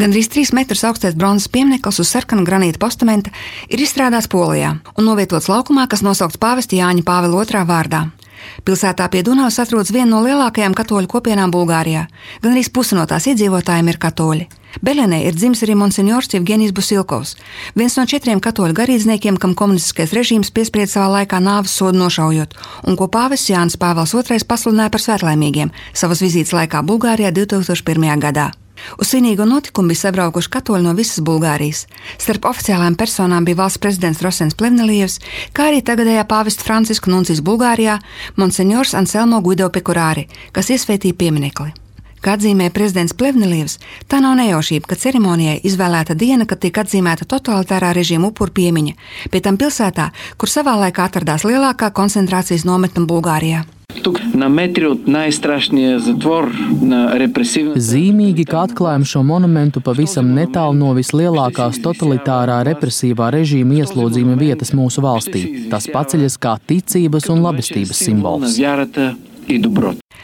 Gandrīz 3 metrus augstais bronzas piemineklis uz sarkana granīta postamenta ir izstrādāts Polijā un novietots laukumā, kas nosaukts pāvesta Jāņa Pāvila II vārdā. Pilsētā pie Dunavas atrodas viena no lielākajām katoļu kopienām Bulgārijā. Gandrīz pusi no tās iedzīvotājiem ir katoļi. Belenē ir dzimis arī monsinjors Jevgenijs Busilkovs, viens no 4 katoļu garīdzniekiem, kam komunistiskais režīms piesprieda savā laikā nāves sodu nošaujot, un ko pāvests Jānis Pāvils II pasludināja par svētlaimīgiem savas vizītes laikā Bulgārijā 2001. gadā. Uz svinīgo notikumu bija sabraukuši katoļi no visas Bulgārijas. Starp oficiālajām personām bija valsts prezidents Rosens Plevnelievs, kā arī tagadējā pāvesta Franciska nuncijs Bulgārijā, monsinjors Anselmo Guido Pekurāri, kas iesvētīja pieminekli. Kā atzīmē prezidents Plevnelievs, tā nav nejaušība, ka ceremonijai izvēlēta diena, kad tiek atzīmēta totalitārā režīma upuru piemiņa, pie tam pilsētā, kur savā laikā atradās lielākā koncentrācijas nometne Bulgārijā. Zīmīgi, ka atklājam šo monumentu pavisam netālu no vislielākās totalitārā represīvā režīma ieslodzījuma vietas mūsu valstī. Tas paceļas kā ticības un labestības simbols.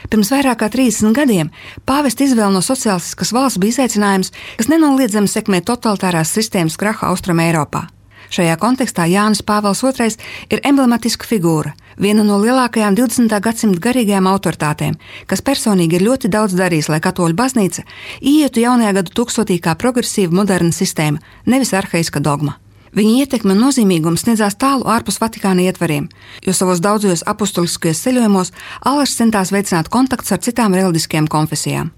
Pirms vairāk kā 30 gadiem pāvesta izvēle no sociālistiskas valsts bija izaicinājums, kas nenoliedzami sekmē totalitārās sistēmas krahu Austrum Eiropā. Šajā kontekstā Jānis Pāvils II ir emblematiska figūra, viena no lielākajām 20. gadsimta garīgajām autoritātēm, kas personīgi ir ļoti daudz darījis, lai katoļu baznīca ietu jaunajā gadu tūkstotī kā progresīva moderna sistēma, nevis arhaiska dogma. Viņa ietekme un nozīmīgums sniedzās tālu ārpus Vatikāna ietvariem, jo savos daudzajos apustuliskajos ceļojumos Allažs centās veicināt kontaktus ar citām reliģiskajām konfesijām.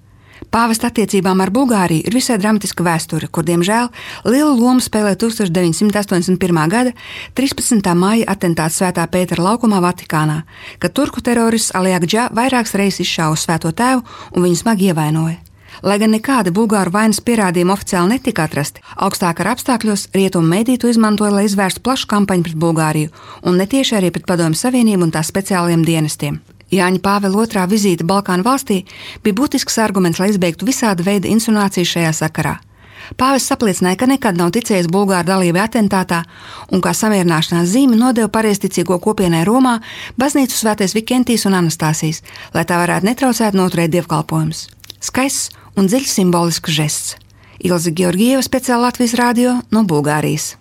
Pāvesta attiecībām ar Bulgāriju ir visai dramatiska vēsture, kur, diemžēl, lielu lomu spēlē 1981. gada 13. maija atentāts Svētā Pētera laukumā Vatikānā, kad turku terorists Ali Agdžā vairākas reizes izšāva Svēto Tēvu un viņu smagi ievainoja. Lai gan nekādi bulgāru vainas pierādījumi oficiāli netika atrasti, augstākara apstākļos rietumu mediji to izmantoja, lai izvērstu plašu kampaņu pret Bulgāriju un netieši arī pret Padomju Savienību un tās speciālajiem dienestiem. Jāņa Pāvila II vizīte Balkānu valstī bija būtisks arguments, lai izbeigtu visāda veida insinuācijas šajā sakarā. Pāvests apliecināja, ka nekad nav ticējis bulgāru dalībai atentātā un kā samierināšanās zīmi nodeva pareizticīgo kopienai Romā baznīcu Svētais Vikentijs un Anastāsijas, lai tā varētu netraucēt noturēt dievkalpojumus. Skaists un dziļs simbolisks žests. Ilze Georgieva, speciāli Latvijas radio no Bulgārijas.